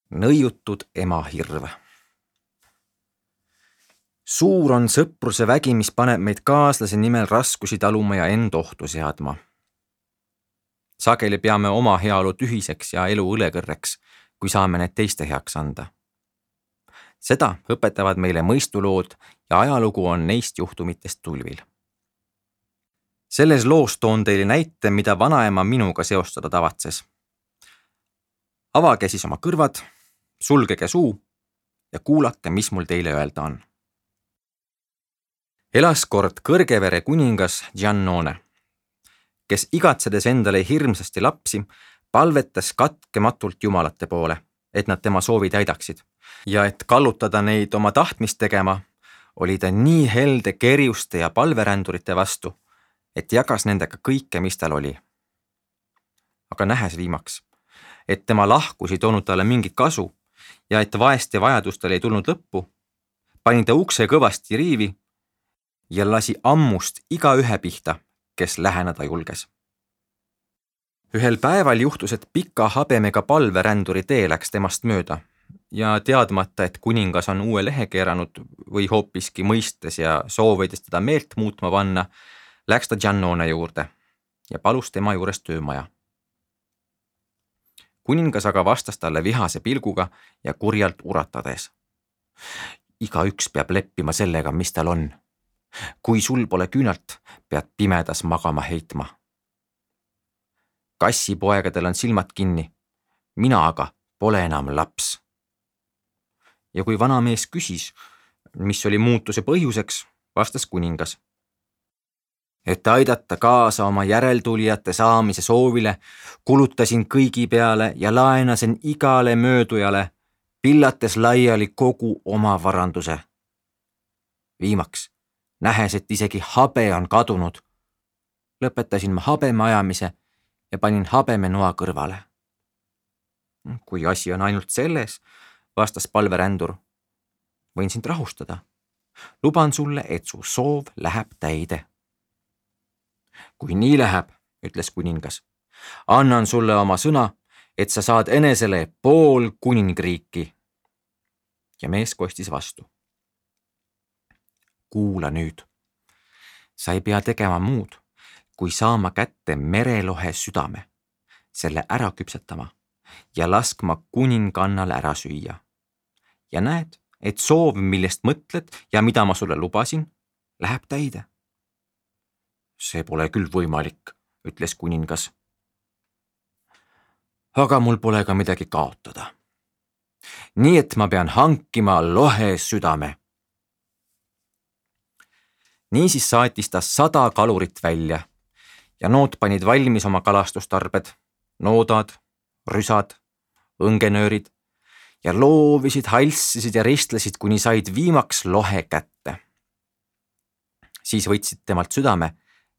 Nõiutud ema hirv. Suur on sõpruse vägi, mis paneb meid kaaslase nimel raskusi taluma ja end ohtu seadma. Sageli peame oma heaolu tühiseks ja elu õlekõrreks, kui saame need teiste heaks anda. Seda õpetavad meile mõistulood ja ajalugu on neist juhtumitest tulvil. Selles loos toon teile näite, mida vanaema minuga seostada tavatses. Avage siis oma kõrvad, sulgege suu ja kuulake, mis mul teile öelda on. Elas kord Kõrgevere kuningas Giannone, kes igatsedes endale hirmsasti lapsi, palvetas katkematult jumalate poole, et nad tema soovi täidaksid. Ja et kallutada neid oma tahtmist tegema, oli ta nii helde kerjuste ja palverändurite vastu, et jagas nendega kõike, mis tal oli. Aga nähes viimaks, et tema lahkus ei toonud talle mingit kasu ja et vaeste vajadustel ei tulnud lõppu, pani ta ukse kõvasti riivi ja lasi ammust igaühe pihta, kes läheneda julges. Ühel päeval juhtus, et pika habemega palveränduri tee läks temast mööda ja teadmata, et kuningas on uue lehe keeranud või hoopiski mõistes ja soovides teda meelt muutma panna, läks ta Giannone juurde ja palus tema juures töömaja. Kuningas aga vastas talle vihase pilguga ja kurjalt uratades. Igaüks peab leppima sellega, mis tal on. Kui sul pole küünalt, pead pimedas magama heitma. Kassipoegadel on silmad kinni, mina aga pole enam laps. Ja kui vanamees küsis, mis oli muutuse põhjuseks, vastas kuningas. Et aidata kaasa oma järeltulijate saamise soovile, kulutasin kõigi peale ja laenasin igale möödujale, pillates laiali kogu oma varanduse. Viimaks, nähes, et isegi habe on kadunud, lõpetasin ma habeme ajamise ja panin habeme noa kõrvale. Kui asi on ainult selles, vastas palverändur, võin sind rahustada. Luban sulle, et su soov läheb täide. Kui nii läheb, ütles kuningas, annan sulle oma sõna, et sa saad enesele pool kuningriiki. Ja mees kostis vastu. Kuula nüüd. Sa ei pea tegema muud, kui saama kätte merelohe südame, selle ära küpsetama ja laskma kuningannal ära süüa. Ja näed, et soov, millest mõtled ja mida ma sulle lubasin, läheb täide. See pole küll võimalik, ütles kuningas. Aga mul pole ka midagi kaotada. Nii et ma pean hankima lohe südame. Niisiis saatis ta 100 kalurit välja ja nood panid valmis oma kalastustarbed, noodad, rüsad, õngenöörid ja loovisid, halssisid ja ristlesid, kuni said viimaks lohe kätte. Siis võtsid temalt südame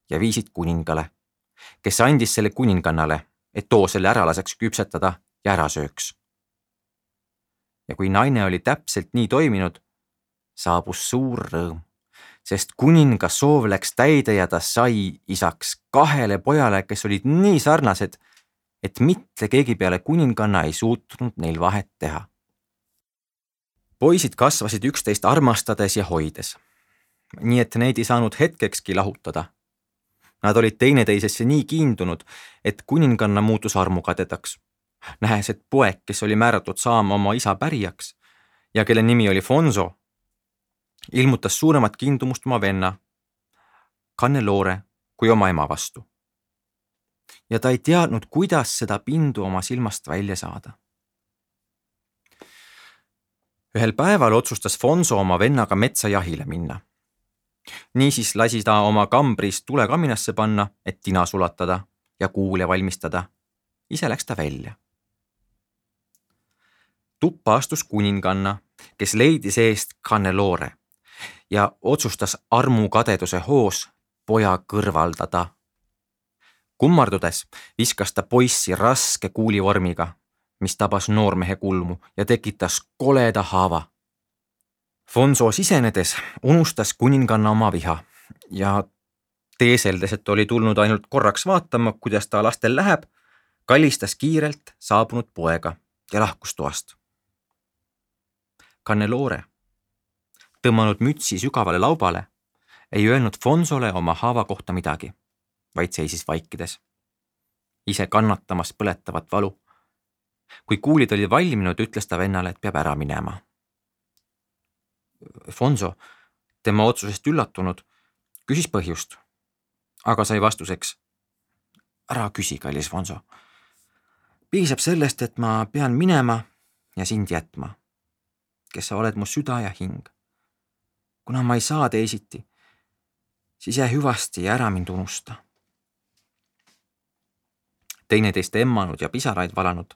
ja viisid kuningale, kes andis selle kuningannale, et too selle ära laseks küpsetada ja ära sööks. Ja kui naine oli täpselt nii toiminud, saabus suur rõõm, sest kuninga soov läks täide ja ta sai isaks 2 pojale, kes olid nii sarnased, et mitte keegi peale kuninganna ei suutnud neil vahet teha. Poisid kasvasid üksteist armastades ja hoides, nii et neid ei saanud hetkekski lahutada. Nad olid teineteisesse nii kiindunud, et kuninganna muutus armukadedaks. Nähes, et poeg, kes oli määratud saama oma isa pärijaks ja kelle nimi oli Fonso, ilmutas suuremat kiindumust oma venna, Cannelore, kui oma ema vastu. Ja ta ei teadnud, kuidas seda pindu oma silmast välja saada. Ühel päeval otsustas Fonso oma vennaga metsajahile minna. Niisiis lasi ta oma kambris tulekaminasse panna, et tina sulatada ja kuule valmistada. Ise läks ta välja. Tuppa astus kuninganna, kes leidis eest Cannelore ja otsustas armukadeduse hoos poja kõrvaldada. Kummardudes viskas ta poissi raske kuulivormiga, mis tabas noormehe kulmu ja tekitas koleda haava. Fonso sisenedes unustas kuninganna oma viha ja teeseldes, et oli tulnud ainult korraks vaatama, kuidas ta lastel läheb, kallistas kiirelt saabunud poega ja lahkus toast. Cannelore, tõmmanud mütsi sügavale laubale, ei öelnud Fonsole oma haava kohta midagi, vaid seisis vaikides, ise kannatamas põletavat valu. Kui kuulid oli valminud, ütles ta vennale, et peab ära minema. Fonso, tema otsusest üllatunud, küsis põhjust, aga sai vastuseks: ära küsi, kallis Fonso. Piisab sellest, et ma pean minema ja sind jätma, kes sa oled mu süda ja hing. Kuna ma ei saa teisiti, siis jää hüvasti ja ära mind unusta. Teineteist emmanud ja pisaraid valanud,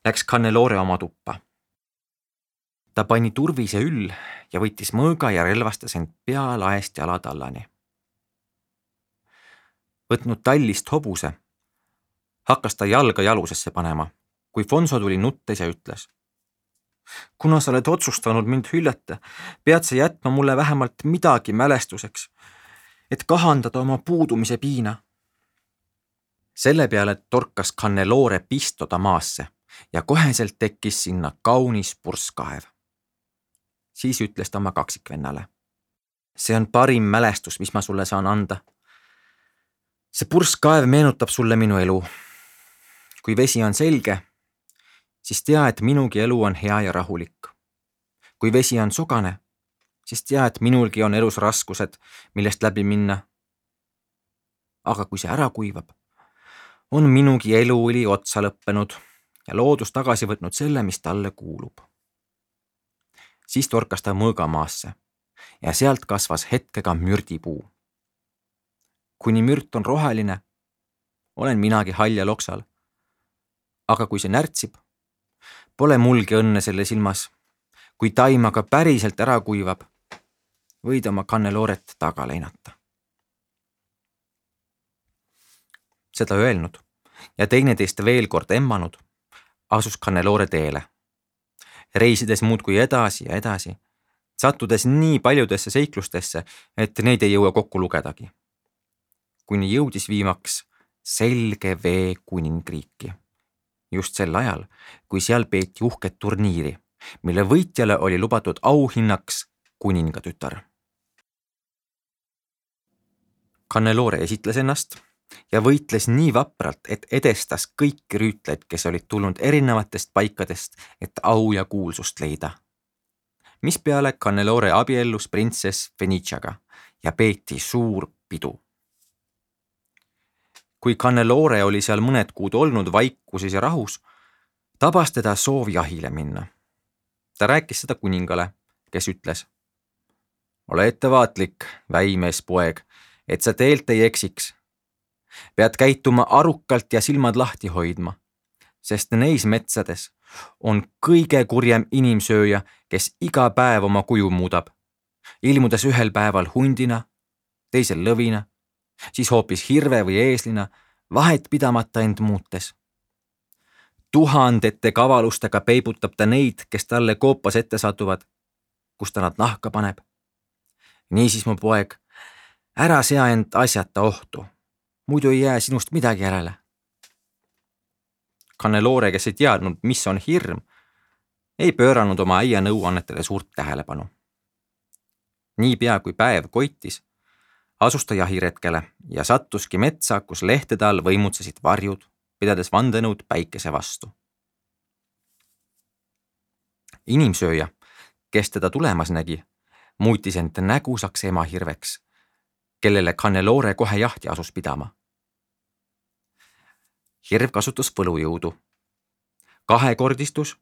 läks Cannelore oma tuppa. Ta pani turvise üll ja võttis mõõga ja relvastas end pea laest jalatallani. Võtnud tallist hobuse, hakkas ta jalga jalusesse panema, kui Fonso tuli nuttes ja ütles: kuna sa oled otsustanud mind hüljata, pead sa jätma mulle vähemalt midagi mälestuseks, et kahandada oma puudumise piina. Selle peale torkas Cannelore pistoda maasse ja koheselt tekkis sinna kaunis purskkaev. Siis ütles ta oma kaksikvennale: see on parim mälestus, mis ma sulle saan anda. See purskkaev meenutab sulle minu elu. Kui vesi on selge, siis tea, et minugi elu on hea ja rahulik. Kui vesi on sogane, siis tea, et minulgi on elus raskused, millest läbi minna. Aga kui see ära kuivab, on minugi eluõli otsa lõppenud ja loodus tagasi võtnud selle, mis talle kuulub. Siis torkas ta mõõga maasse ja sealt kasvas hetkega mürdipuu. Kuni mürt on roheline, olen minagi hall ja loksal. Aga kui see närtsib, pole mulgi õnne selle silmas. Kui taim aga päriselt ära kuivab, võid oma Canneloret taga leinata. Seda öelnud ja teineteist veel kord emmanud, asus Cannelore teele. Reisides muudkui edasi ja edasi, sattudes nii paljudesse seiklustesse, et neid ei jõua kokku lugedagi. Kuni jõudis viimaks Selge Vee kuningriiki. Just sel ajal, kui seal peeti uhket turniiri, mille võitjale oli lubatud auhinnaks kuningatütar. Cannelore esitles ennast ja võitles nii vapralt, et edestas kõiki rüütleid, kes olid tulnud erinevatest paikadest, et au ja kuulsust leida. Mispeale Cannelore abiellus printsess Feniciaga ja peeti suur pidu. Kui Cannelore oli seal mõned kuud olnud vaikuses ja rahus, tabas teda soov jahile minna. Ta rääkis seda kuningale, kes ütles: ole ettevaatlik, väimees poeg, et sa teelt ei eksiks. Pead käituma arukalt ja silmad lahti hoidma, sest neis metsades on kõige kurjem inimsööja, kes iga päev oma kuju muudab, ilmudes ühel päeval hundina, teisel lõvina, siis hoopis hirve või eeslina, vahet pidamata end muutes. Tuhandete kavalustega peibutab ta neid, kes talle koopas ette satuvad, kus ta nad nahka paneb. Niisiis, mu poeg, ära sea end asjata ohtu, muidu ei jää sinust midagi järele. Cannelore, kes ei teadnud, mis on hirm, ei pööranud oma äia nõuannetele suurt tähelepanu. Niipea kui päev koitis, asus ta jahiretkele ja sattuski metsa, kus lehtede all võimutsesid varjud, pidades vandenõud päikese vastu. Inimsööja, kes teda tulemas nägi, muutis end nägusaks emahirveks, kellele Cannelore kohe jahti asus pidama. Hirv kasutas võlujõudu, kahekordistus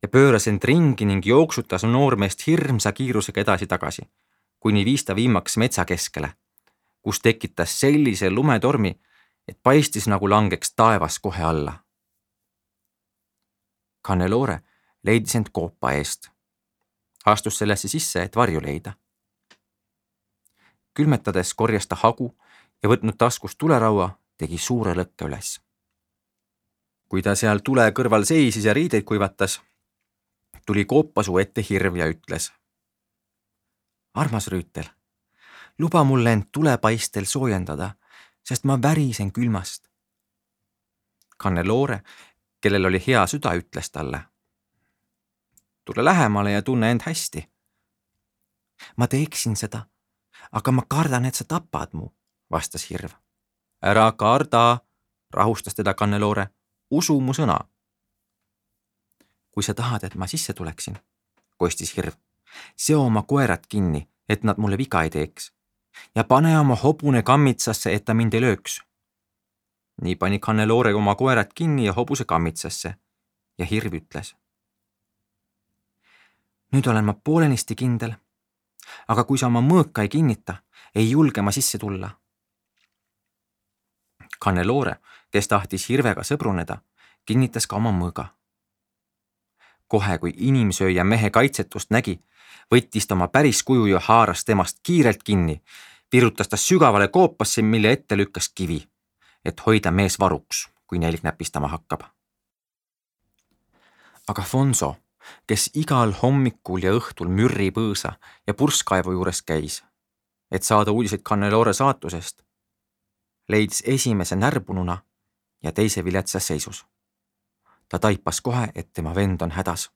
ja pööras end ringi ning jooksutas noormeest hirmsa kiirusega edasi-tagasi, kuni viis ta viimaks metsa keskele, kus tekitas sellise lumetormi, et paistis nagu langeks taevas kohe alla. Cannelore leidis end koopa eest. Astus sellesse sisse, et varju leida. Külmetades korjas ta hagu ja võtnud taskust tuleraua, tegi suure lõkke üles. Kui ta seal tule kõrval seisis ja riideid kuivatas, tuli koopasuu ette hirv ja ütles: armas rüütel, luba mulle end tulepaistel soojendada, sest ma värisen külmast. Cannelore, kellel oli hea süda, ütles talle: tule lähemale ja tunne end hästi. Ma teeksin seda, aga ma kardan, et sa tapad mu, vastas hirv. Ära karda, rahustas teda Cannelore, usu mu sõna. Kui sa tahad, et ma sisse tuleksin, kostis hirv, seo oma koerad kinni, et nad mulle viga ei teeks ja pane oma hobune kammitsasse, et ta mind ei lööks. Nii pani Cannelore oma koerad kinni ja hobuse kammitsasse ja hirv ütles. Nüüd olen ma poolenisti kindel, aga kui sa oma mõõka ei kinnita, ei julge ma sisse tulla. Cannelore, kes tahtis hirvega sõbruneda, kinnitas ka oma mõõga. Kohe, kui inimsööja mehe kaitsetust nägi, võttis ta oma päris kuju ja haaras temast kiirelt kinni, virutas ta sügavale koopasse, mille ette lükkas kivi, et hoida mees varuks, kui nälg näpistama hakkab. Aga Fonso, kes igal hommikul ja õhtul mürripõõsa ja purskkaevu juures käis, et saada uudiseid Cannelore saatusest, leidis esimese närbununa ja teise viletsas seisus. Ta taipas kohe, et tema vend on hädas.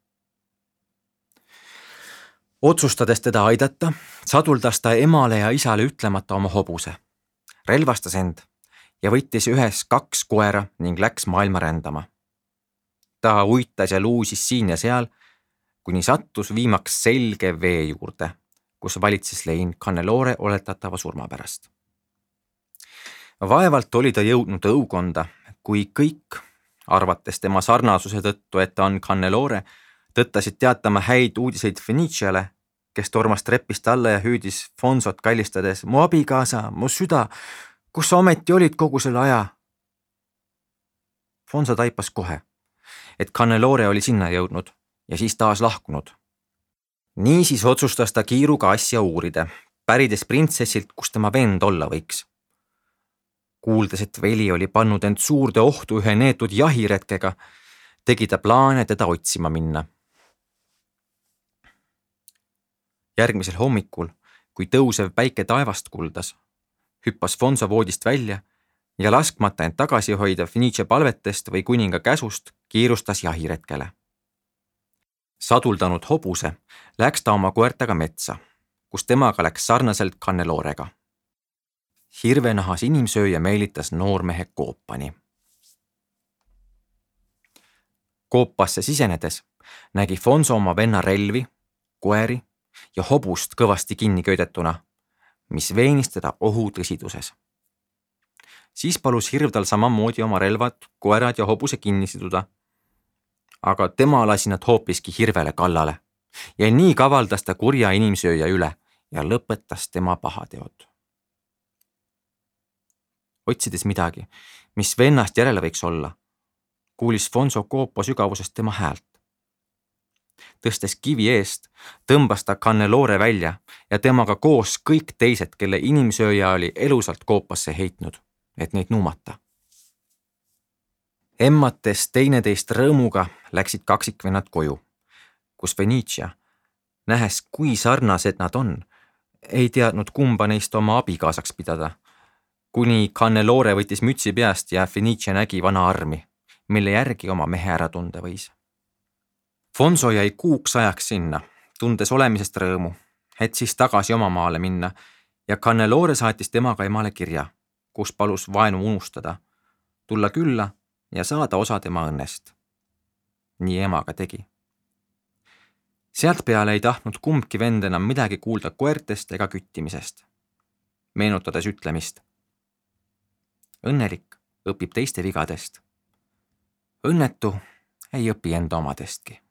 Otsustades teda aidata, saduldas ta emale ja isale ütlemata oma hobuse, relvastas end ja võttis ühes 2 koera ning läks maailma rändama. Ta uitas ja luusis siin ja seal, kuni sattus viimaks selge vee juurde, kus valitses lein Cannelore oletatava surma pärast. Vaevalt oli ta jõudnud õukonda, kui kõik, arvates tema sarnasuse tõttu, et ta on Cannelore, tõttasid teatama häid uudiseid Feniciale, kes tormas trepist alla ja hüüdis Fonsot kallistades, mu abikaasa, mu süda, kus sa ometi olid kogu selle aja? Fonso taipas kohe, et Cannelore oli sinna jõudnud ja siis taas lahkunud. Niisiis otsustas ta kiiruga asja uurida, pärides printsessilt, kus tema vend olla võiks. Kuuldes, et veli oli pannud end suurde ohtu ühe neetud jahiretkega, tegi ta plaane teda otsima minna. Järgmisel hommikul, kui tõusev päike taevast kuldas, hüppas Fonso voodist välja ja laskmata end tagasi hoida Fenice palvetest või kuninga käsust, kiirustas jahiretkele. Saduldanud hobuse läks ta oma koertaga metsa, kus temaga läks sarnaselt Cannelorega. Hirvenahas inimsööja meelitas noormehe koopani. Koopasse sisenedes nägi Fonso oma venna relvi, koeri ja hobust kõvasti kinni köidetuna, mis veenis teda ohu tõsiduses. Siis palus hirv tal samamoodi oma relvad, koerad ja hobuse kinni siduda, aga tema lasi nad hoopiski hirvele kallale ja nii kavaldas ta kurja inimsööja üle ja lõpetas tema pahateod. Otsides midagi, mis vennast järele võiks olla, kuulis Fonso koopa sügavusest tema häält. Tõstes kivi eest, tõmbas ta Cannelore välja ja temaga koos kõik teised, kelle inimsööja oli elusalt koopasse heitnud, et neid nuumata. Emmates teineteist rõõmuga läksid kaksikvennad koju, kus Fenicia, nähes kui sarnased nad on, ei teadnud kumba neist oma abikaasaks pidada, kuni Cannelore võttis mütsi peast ja Fenicia nägi vana armi, mille järgi oma mehe ära tunda võis. Fonso jäi kuuks ajaks sinna, tundes olemisest rõõmu, et siis tagasi oma maale minna ja Cannelore saatis temaga emale kirja, kus palus vaenu unustada, tulla külla ja saada osa tema õnnest. Nii ema ka tegi. Sealt peale ei tahtnud kumbki vend enam midagi kuulda koertest ega küttimisest, meenutades ütlemist. Õnnelik õpib teiste vigadest. Õnnetu ei õpi enda omadestki.